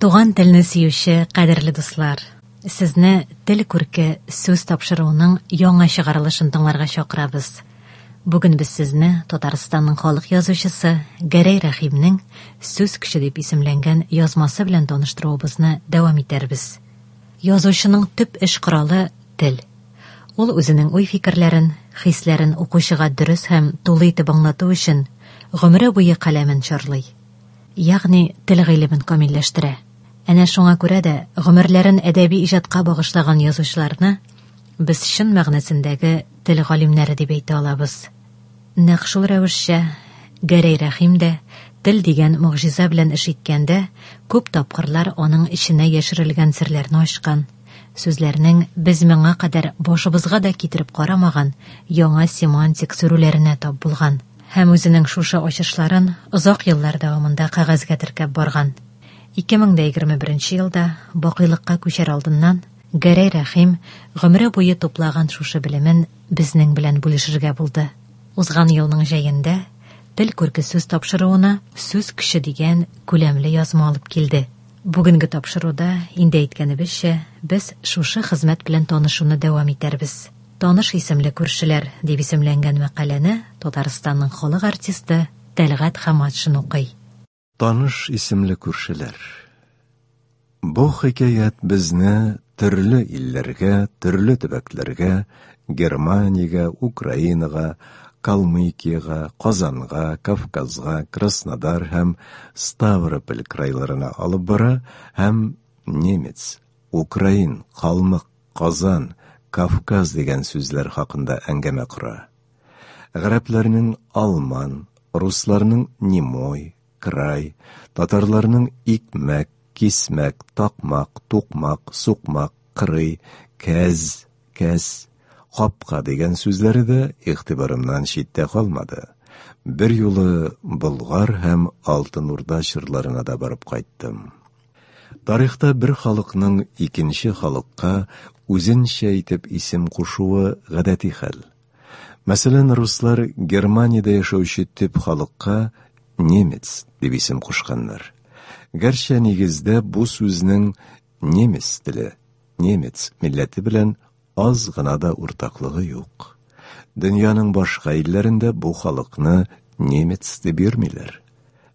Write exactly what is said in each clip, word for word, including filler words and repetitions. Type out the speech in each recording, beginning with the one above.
Туган телне сөюче кадерле дуслар, сезне Тел күрке сүз тапшыруының яңа чыгарылышын тыңларга чакырабыз. Бүген без сезне Татарстанның халык язучысы Гәрәй Рәхимнең Сүз көче дип исемләнгән язмасы белән таныштыруыбызны дәвам итәрбез. Язучының төп эш коралы тел. Ул үзенең уй-фикерләрен, хисләрен укучыга дөрес һәм тулы итеп аңлату өчен гомере буе каләмен чарлый. Ягъни тел гыйлемен камилләштерә. Әнә шуңа күрә дә гомерләрен әдәби иҗатка багышлаган язучыларны без чын мәгънәсендәге тел галимнәре дип әйтә алабыз. Нәкъ шул рәвешчә Гәрәй Рәхим дә тел дигән могҗиза белән эш иткәндә күп тапкырлар аның эченә яшерелгән серләрне ачкан, сүзләрнең без моңа кадәр башыбызга да китереп карамаган яңа семантик сүрүләренә тап булган һәм үзенең шушы ачышларын озак еллар дәвамында кәгазьгә теркәп барган. ике мең дә егерме беренче елда бакыйлыкка күчәр алдыннан Гәрәй Рәхим гомере буе туплаган шушы белемен безнең белән бүлешергә булды. Узган елның җәендә Тел күрке сүз тапшыруына Сүз көче дигән күләмле язма алып килде. Бүгенге тапшыруда, инде әйткәнебезчә, без шушы хезмәт белән танышуны дәвам итәрбез. Таныш исемле күршеләр дип исемләнгән мәкаләне Татарстанның халык артисты Тәлгать Хаматшин укый. Таныш исемле күршеләр. Бу хикәят безне төрле илләргә, төрле төбәкләргә, Германиягә, Украинага, Калмыкиягә, Казанга, Кавказга, Краснодар һәм Ставрополь крайларына алып бара һәм немец, украин, калмык, Казан, Кавказ дигән сүзләр хакында әңгәмә кора. Гарәпләрнең алман, русларның немой, край, татарларның икмәк, кисмәк, такмак, тукмак, сукмак, кырый, кәз, кәс, капка дигән сүзләре дә игътибарымнан читтә калмады. Бер юлы Болгар һәм Алтын Урда чорларына да барып кайттым. Тарихта бер халыкның икенче халыкка үзенчә итеп исем кушуы гадәти хәл. Мәсәлән, руслар Германиядә яшәүче төп халыкка немец дип исем кушканнар. Гәрчә нигездә бу сүзнең немец теле, немец милләте белән аз гына да уртаклыгы юк. Дөньяның башка илләрендә бу халыкны немец дип йөрмиләр.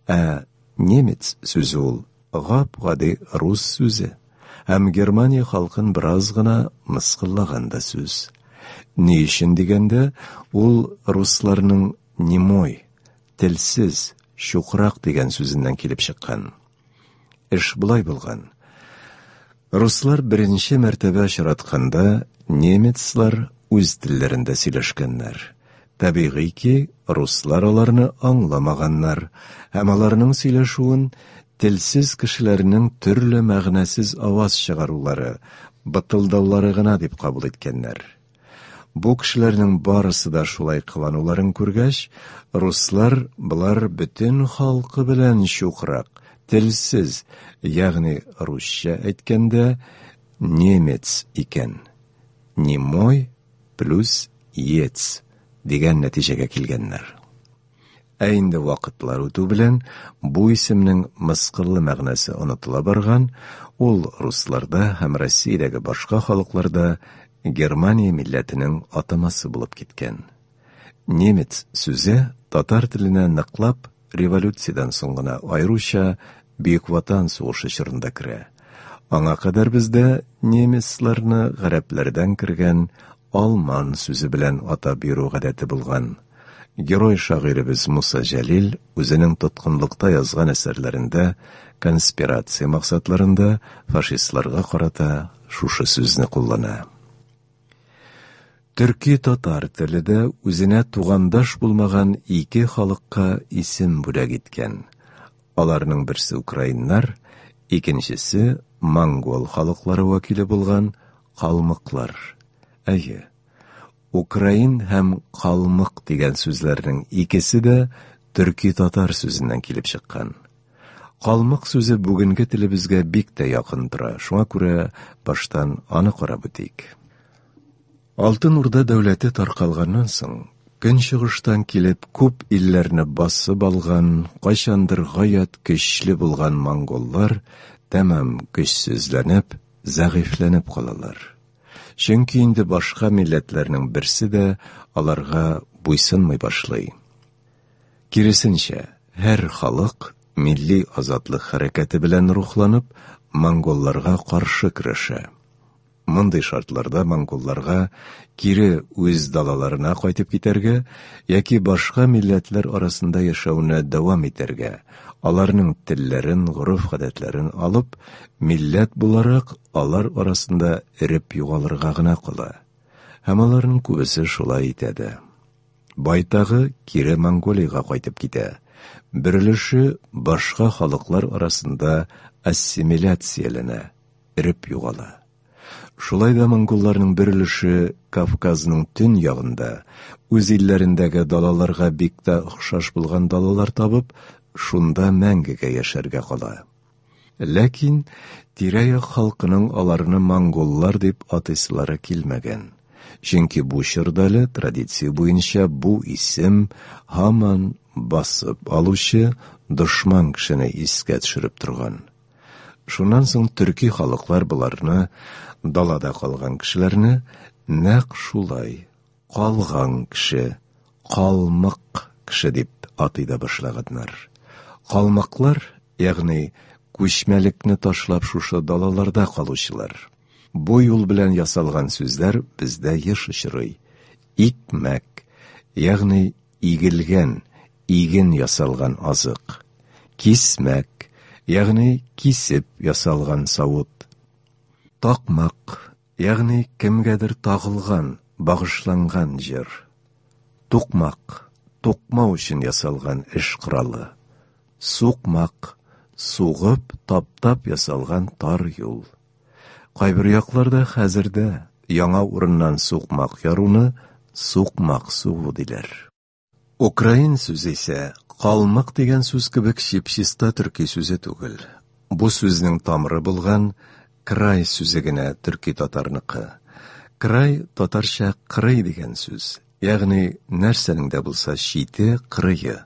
Ә немец сүзе ул гап-гади рус сүзе һәм Германия халкын бераз гына мыскыллаган да сүз. Ни өчен дигәндә, ул русларның немой, телсез, чукрак дигән сүзеннән килеп чыккан. Эш болай булган. Руслар беренче мәртәбә очратканда немецлар үз телләрендә сөйләшкәннәр. Табигый ки, руслар аларны аңламаганнар һәм аларның сөйләшүен телсез кешеләрнең төрле мәгънәсез аваз чыгарулары, бытылдаулары гына дип кабул иткәннәр. Бу кешеләрнең барысы да шулай кылануларын күргәч, руслар болар бөтен халкы белән чукрак, телсез, ягъни русча әйткәндә немец икән. Немой плюс ец дигән нәтиҗәгә килгәннәр. Ә инде вакытлар үтү белән бу исемнең мыскыллы мәгънәсе онытыла барган, ул русларда һәм Россиядәге башка халыкларда Германия милләтенең атамасы булып киткән. Немец сүзе татар теленә ныклап революциядән соң гына, аеруча Бөек Ватан сугышы чорында керә. Аңа кадәр бездә немецларны гарәпләрдән кергән алман сүзе белән атап йөрү гадәте булган. Герой шагыйребез Муса Җәлил үзенең тоткынлыкта язган әсәрләрендә конспирация максатларында фашистларга карата шушы сүзне куллана. Төрки татар теле дә үзенә тугандаш булмаган ике халыкка исем бүләк иткән. Аларның берсе украиннар, икенчесе монгол халыклары вәкиле булган калмыклар. Әйе, украин һәм калмык дигән сүзләрнең икесе дә төрки татар сүзеннән килеп чыккан. Калмык сүзе бүгенге телебезгә бик тә якын тора, шуңа күрә баштан аны карап үтик. Алтын Урда дәүләте таркалганнан соң, көнчыгыштан килеп күп илләрне басып алган, кайчандыр гаять көчле булган монголлар тәмам көчсезләнеп, зәгыйфьләнеп калалар. Чөнки инде башка милләтләрнең берсе дә аларга буйсынмый башлый. Киресенчә, һәр халык милли азатлык хәрәкәте белән рухланып, монголларга каршы көрәшә. Мондый шартларда монголларга кире үз далаларына кайтып китәргә яки башка милләтләр арасында яшәүне дәвам итәргә, аларның телләрен, гореф-гадәтләрен алып, милләт буларак алар арасында эреп югалырга гына кала. Һәм аларның күбесе шулай итә дә. Байтагы кире Монголиягә кайтып китә. Бер өлеше башка халыклар арасында ассимиляцияләнә, эреп югала. Шулай да монголларның бер өлеше Кавказның төньягында, үз илләрендәге далаларга бик тә охшаш булган далалар табып, шунда мәңгегә яшәргә кала. Ләкин тирә-як халкының аларны монголлар дип атыйсылары килмәгән. Чөнки бу чорда әле традиция буенча бу исем һаман басып алучы дошман кешене искә төшереп торган. Шуннан соң төрки халыклар боларны, далада калган кешеләрне нәкъ шулай калган кеше, калмык кеше дип атый да башлаганнар. Калмыклар, ягъни күчмәлекне ташлап шушы далаларда калучылар. Бу юл белән ясалган сүзләр бездә еш очрый. Икмәк, ягъни игелгән, иген ясалган азык. Кисмәк, ягъни кисеп ясалган савыт. Такмак, ягъни кемгәдер тагылган, багышланган җыр. Тукмак, тукмау өчен ясалган эш коралы. Сукмак, сугып, таптап ясалган тар юл. Кайбер якларда хәзер дә яңа урыннан сукмак яруны сукмак сугу диләр. Украин сүзе исә калмык дигән сүз кебек чип-чиста төрки сүзе түгел. Бу сүзнең тамыры булган край сүзе генә төрки татарныкы. Край татарча кырый дигән сүз, ягъни нәрсәнең дә булса чите, кырые.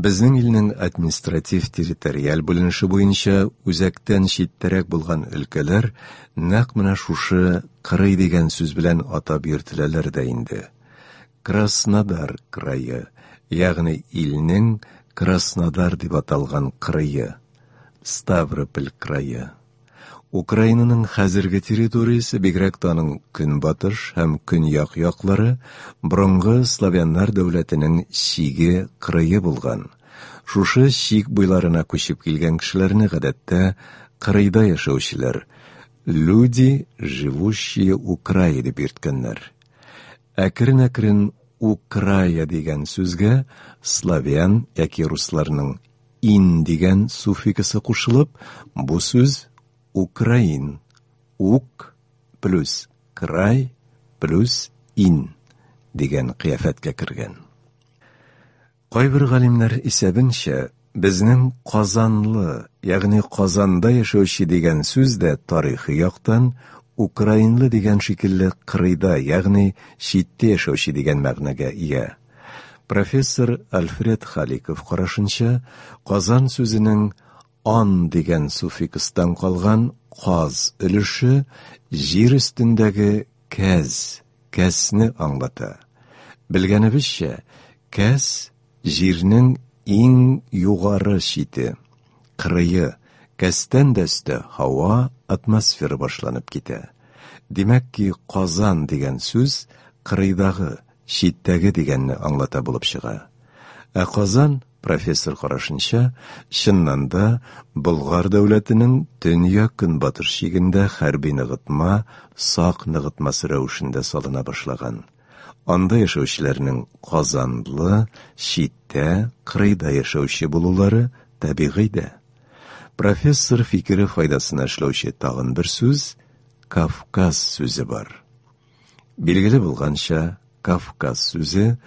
Безнең илнең административ-территориаль бүленеше буенча үзәктән читтәрәк булган өлкәләр нәкъ менә шушы кырый дигән сүз белән атап йөртеләләр дә инде. Краснодар крае, ягъни илнең Краснодар дип аталган кырые, Ставрополь крае. Украинаның хәзерге территориясе, бигрәк тә аның көнбатыш һәм көньяк яклары, борынгы славяннар дәүләтенең чиге, кырые булган. Шушы чик буйларына күчеп килгән кешеләрне гадәттә кырыйда яшәүчеләр, люди, живущие у края дип йөрткәннәр. Әкрен-әкрен Украя дигән сүзгә славян яки русларның ин дигән суффиксы кушылып, бу сүз Украин, ук плюс край плюс ин дигән кыяфәткә кергән. Кайбер галимнәр исәбенчә, безнең Казанлы, ягъни Казанда яшәүче дигән сүз дә тарихи яктан украинлы дигән шикелле кырыйда, ягъни читтә яшәүче дигән мәгънәгә ия. Профессор Альфред Халиков карашынча, Казан сүзенең ан дигән суффикстан калган каз өлеше җир өстендәге кәз, кәсне аңлата. Белгәнебезчә, кәс җирнең иң югары чите, кырые, кәстән дә өстә һава, атмосфера башланып китә. Димәк ки, Казан дигән сүз кырыйдагы, читтәге дигәнне аңлата булып чыга. Ә Казан, профессор карашынча, чыннан да Болгар дәүләтенең төньяк-көнбатыш чигендә хәрби ныгытма, сак ныгытмасы рәвешендә салына башлаган. Анда яшәүчеләрнең Казанлы, читтә, кырыйда яшәүче булулары табигый дә. Профессор фикере файдасына эшләүче тагын бер сүз Кавказ сүзе бар. Билгеле булганча, Кавказ сүзе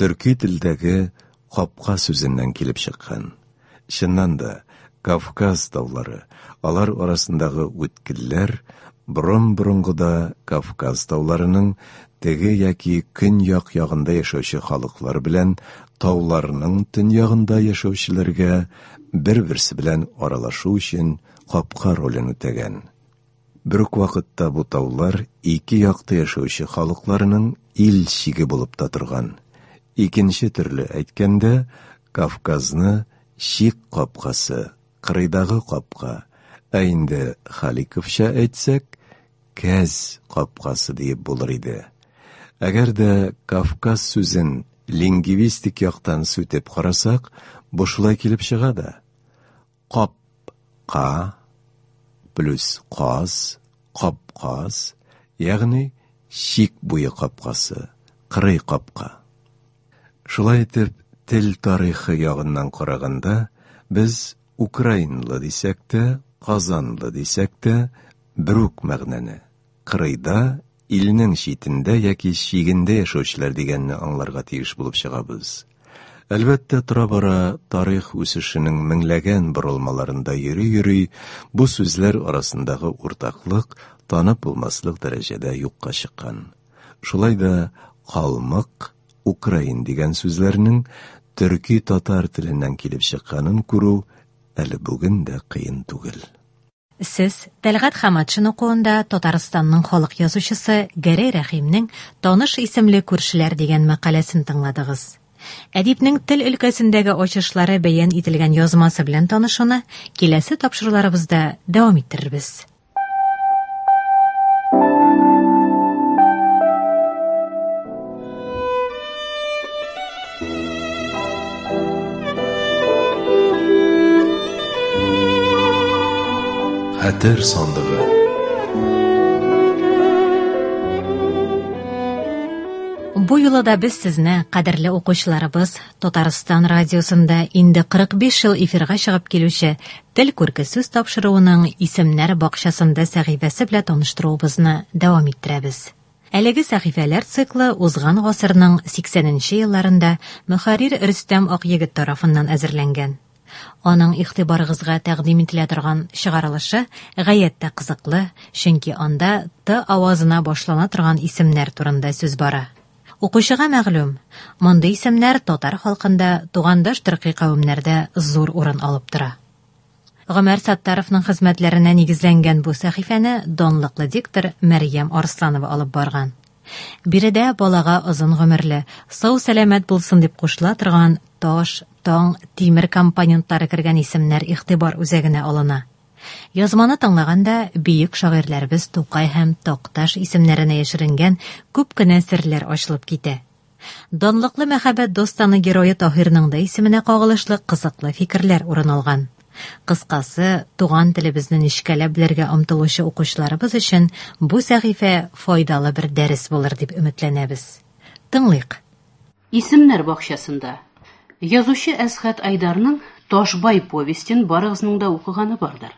төрки телдәге капка сүзеннән килеп чыккан. Чыннан да, Кавказ таулары, алар арасындагы үткелләр Борын-борынгыда Кавказ тауларының теге яки көньяк ягында яшәүче халыклар белән тауларның төньягында яшәүчеләргә бер-берсе белән аралашу өчен капка ролен үтәгән. Бер үк вакытта бу таулар ике якта яшәүче халыкларның ил чиге булып та торган. Икенче төрле әйткәндә, Кавказны чик капкасы, кырыйдагы капка, ә инде Халиковча әйтсәк, Кәз капкасы диеп булыр иде. Әгәр дә Кавказ сүзен лингвистик яктан сүтеп карасак, бу шулай килеп чыга да. Кап-ка плюс каз, капказ, ягъни чик буе капкасы, кырый капка. Шулай итеп, тел тарихы ягыннан караганда, без украинлы дисәк тә, казанлы дисәк тә, бер үк мәгънәне, кырыйда, илнең читендә яки чигендә яшәүчеләр дигәнне аңларга тиеш булып чыгабыз. Әлбәттә, тора-бара тарих үсешенең меңләгән борылмаларында йөри-йөри, бу сүзләр арасындагы уртаклык танып булмаслык дәрәҗәдә юкка чыккан. Шулай да калмык, украин дигән сүзләрнең төрки-татар теленнән килеп чыкканын күрү әле бүген дә кыен түгел. Сез Тәлгать Хаматшин укуында Татарстанның халык язучысы Гәрәй Рәхимнең Таныш исемле күршеләр дигән мәкаләсен тыңладыгыз. Әдипнең тел өлкәсендәге ачышлары бәян ителгән язмасы белән танышуны киләсе тапшыруларыбызда дәвам иттерербез. Хәтер сандыгы. Бу юлы да без сезне, кадерле укучыларыбыз, Татарстан радиосында инде кырык биш ел эфирга чыгып килүче Тел күрке сүз тапшыруының исемнәр бакчасында сәхифәсе белән таныштыруыбызны дәвам иттерәбез. Әлеге сәхифәләр циклы узган гасырның сиксәненче елларында мөхәррир Рөстәм Акъегет тарафыннан әзерләнгән. Аның игътибарыгызга тәкъдим ителә торган чыгарылышы гаять тә кызыклы, чөнки анда Т авазына башлана торган исемнәр турында сүз бара. Укучыга мәгълүм, мондый исемнәр татар халкында тугандаш төрки кавемнәрдә зур урын алып тора. Гомәр Саттаровның хезмәтләренә нигезләнгән бу сәхифәне данлыклы диктор Мәрьям Арсланова алып барган. Биредә балага озын гомерле, сау-сәламәт булсын дип кушыла торган таш, таң, тимер компонентлары кергән исемнәр игътибар үзәгенә алына. Язманы тыңлаганда бөек шагыйрьләребез Тукай һәм Такташ исемнәренә яшеренгән күп кенә серләр ачылып китә. Данлыклы мәхәббәт достаны герое Таһирның да исеменә кагылышлы кызыклы фикерләр урын алган. Кыскасы, туган телебезне нечкәләп белергә омтылучы укучыларыбыз өчен бу сәхифә файдалы бер дәрес булыр дип өметләнәбез. Тыңлыйк. Исемнәр бакчасында язучы Әсхәт Айдарның Ташбай повестен барыгызның да укыганы бардыр.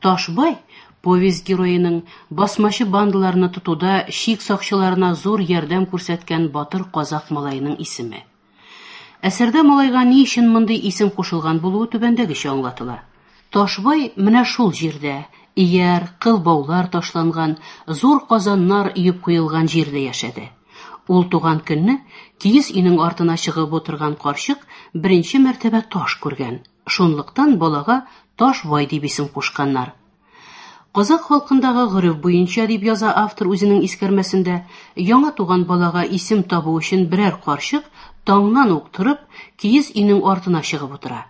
Ташбай повесть героеның басмачы бандаларны тотуда чик сакчыларына зур ярдәм күрсәткән батыр казак малаеның исеме. Әсәрдә малайга ни өчен мондый исем кушылган булуы түбәндәгечә аңлатыла. Ташбай менә шул җирдә, ияр, кыл баулар ташланган, зур казаннар өеп куелган җирдә яшәде. Ул туган көнне киез өйнең артына чыгып утырган карчык беренче мәртәбә таш күргән. Шунлыктан балага Ташбай дип исем кушканнар. Казак халкындагы гореф буенча дип яза автор үзенең искәрмәсендә, яңа туган балага исем табу өчен берәр карчык таңнан ук торып, киез өйнең артына чыгып утыра.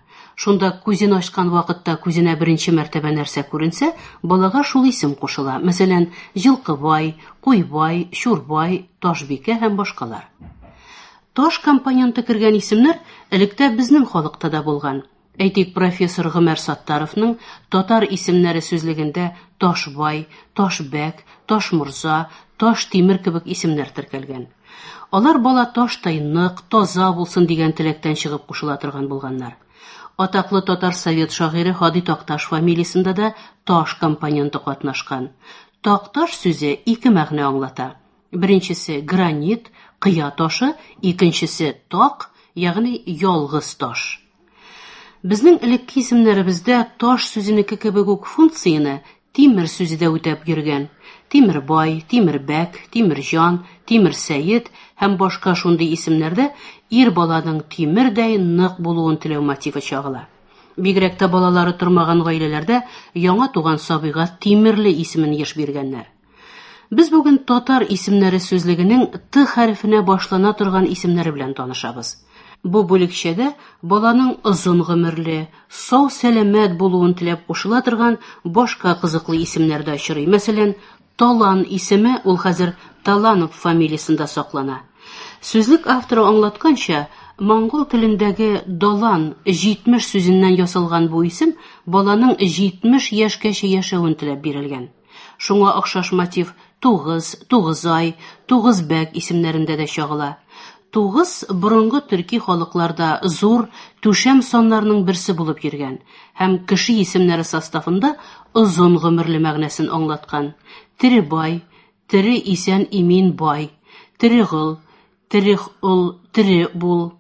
Шунда күзен ачкан вакытта күзенә беренче мәртәбә нәрсә күренсә, балага шул исем кушыла. Мәсәлән, Җылкыбай, Куйбай, Чурбай, Ташбикә һәм башкалар. Таш компоненты кергән исемнәр электә безнең халыкта да булган. Әйтик, профессор Гомәр Саттаровның татар исемнәре сүзлегендә Ташбай, Ташбәк, Ташморза, Таштимер кебек исемнәр теркәлгән. Алар бала таштай нык, таза булсын дигән теләктән чыгып кушыла торган булганнар. Атаклы татар совет шагыйре Һади Такташ фамилиясендә дә таш компоненты катнашкан. Такташ сүзе ике мәгънә аңлата. Беренчесе гранит, кыя ташы, икенчесе так, ягъни ялгыз таш. Безнең элекке исемнәребездә таш сүзенеке кебек үк функцияне тимер сүзе дә үтәп йөргән. Тимербай, Тимербәк, Тимерҗан, Тимерсәет һәм башка шундый исемнәрдә ир баланың тимердәй нык булуын теләү мотивы чагыла. Бигрәк тә балалары тормаган гаиләләрдә яңа туган сабыйга Тимерле исемен еш биргәннәр. Без бүген татар исемнәре сүзлегенең Т хәрефенә башлана торган исемнәре белән танышабыз. Бу бүлекчәдә баланың озын гомерле, сау-сәламәт булуын теләп кушыла торган башка кызыклы исемнәр дә очрый. Мәсәлән, Талан исеме ул хәзер Таланов фамилиясендә саклана. Сүзлек авторы аңлатканча, монгол телендәге далан җитмеш сүзеннән ясалган бу исем баланың җитмеш яшькәчә яшәвен теләп бирелгән. Шуңа охшаш мотив Тугыз, Тугызай, Тугызбәк исемнәрендә дә чагыла. Тугыз борынгы төрки халыкларда зур түшәм саннарының берсе булып йөргән һәм кеше исемнәре составында озын гомерле мәгънәсен аңлаткан. Тере бай, тере исән имин бай, тере гол, тере ул, тере бул,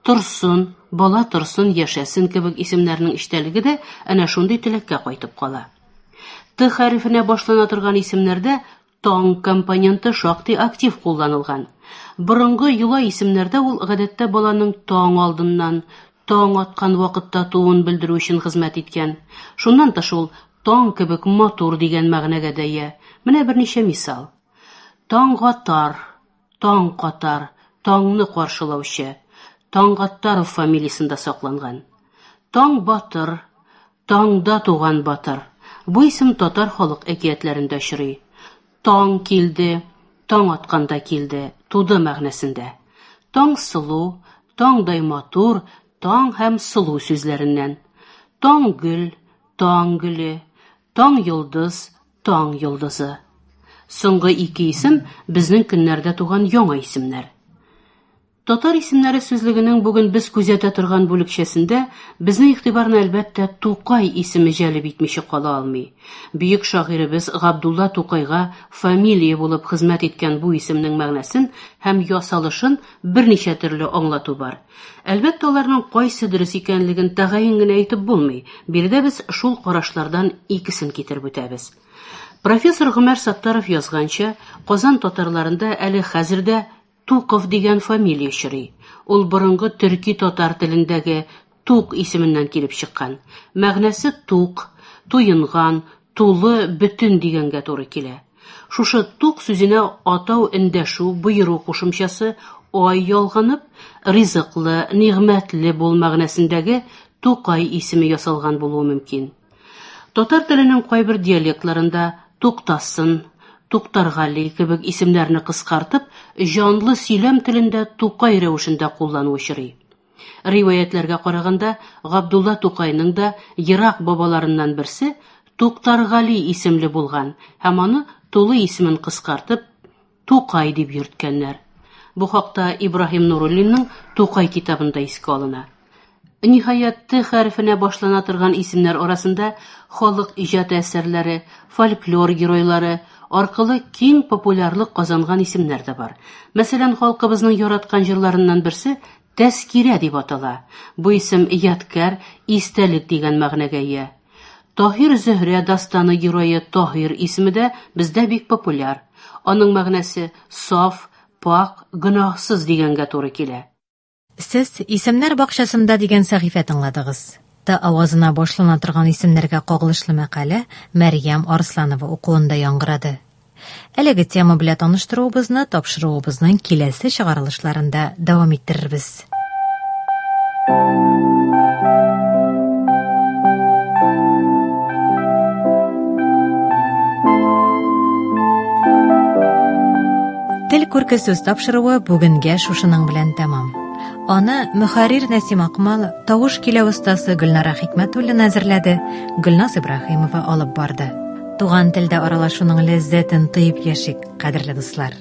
торсын, бала торсын, яшәсен кебек исемнәрнең эчтәлеге дә әнә шундый теләккә кайтып кала. Т хәрефенә башлана торган исемнәрдә таң компоненты шактый актив кулланылган. Борынгы йола исемнәрдә ул гадәттә баланың таң алдыннан, таң аткан вакытта тууын белдерү өчен хезмәт иткән. Шуннан тыш ул таң кебек матур дигән мәгънәгә дә ия. Менә берничә мисал. Таңгатар, таң катар, таңны каршылаучы, Таңгаттаров фамилиясендә сакланган. Таң батыр, таңда туган батыр. Бу исем татар халык әкиятләрендә очрый. Таң килде, таң атканда килде, туды мәгънәсендә. Таң сылу, таңдай матур, таң һәм сылу сүзләреннән. Таң гөл, таң гөле, таң йолдыз, таң йолдызы. Соңгы ике исем безнең көннәрдә туган яңа исемнәр. Татар исемнәре сүзлегенең бүген без күзәтә торган бүлекчәсендә безнең игътибарны әлбәттә Тукай исеме җәлеп итмичә кала алмый. Бөек шагыйребез Габдулла Тукайга фамилия булып хезмәт иткән бу исемнең мәгънәсен һәм ясалышын берничә төрле аңлату бар. Әлбәттә, аларның кайсы дөрес икәнлеген тәгаен генә әйтеп булмый. Биредә без шул карашлардан икесен китереп үтәбез. Профессор Гомәр Саттаров язганча, Казан татарларында әле хәзер дә Туков дигән фамилия очрый. Ул борынгы төрки татар телендәге Тук исеменнән килеп чыккан. Мәгънәсе тук, туенган, тулы, бөтен дигәнгә туры килә. Шушы тук сүзенә атау, эндәшү, боеру кушымчасы ай ялганып, ризыклы, нигъмәтле бул мәгънәсендәге Тукай исеме ясалган булуы мөмкин. Татар теленең кайбер диалектларында Туктасын, Туктаргали кебек исемнәрне кыскартып, җанлы сөйләм телендә Тукай рәвешендә куллану очрый. Риваятләргә караганда, Габдулла Тукайның да ерак бабаларыннан берсе Туктаргали исемле булган һәм аны тулы исемен кыскартып Тукай дип йөрткәннәр. Бу хакта Ибраһим Нуруллинның Тукай китабында искә алына. Ниһаять, Т хәрефенә башлана торган исемнәр арасында халык иҗат әсәрләре, фольклор геройлары аркылы киң популярлык казанган исемнәр дә бар. Мәсәлән, халкыбызның яраткан җырларыннан берсе Тәскирә дип атала. Бу исем ядкәр, истәлек дигән мәгънәгә ия. Таһир Зөһрә дастаны герое Таһир исеме дә бездә бик популяр. Аның мәгънәсе саф, пак, гөнаһсыз дигәнгә туры килә. Сез исемнәр бакчасында дигән сәхифә тыңладыгыз. Т авазына башлана торган исемнәргә кагылышлы мәкалә Мәрьям Арсланова укуында яңгырады. Әлеге тема белән таныштыруыбызны тапшыруыбызның киләсе чыгарылышларында дәвам иттерербез. Тел күрке сүз тапшыруы бүгенгә шушының белән тәмам. Аны мөхәррир Нәсим Акмал, тавыш киләү остасы Гөлнара Хикмәтуллина әзерләде, Гөлназ Ибраһимова алып барды. Туган телдә аралашуның ләззәтен тоеп яшик, кадерле дуслар.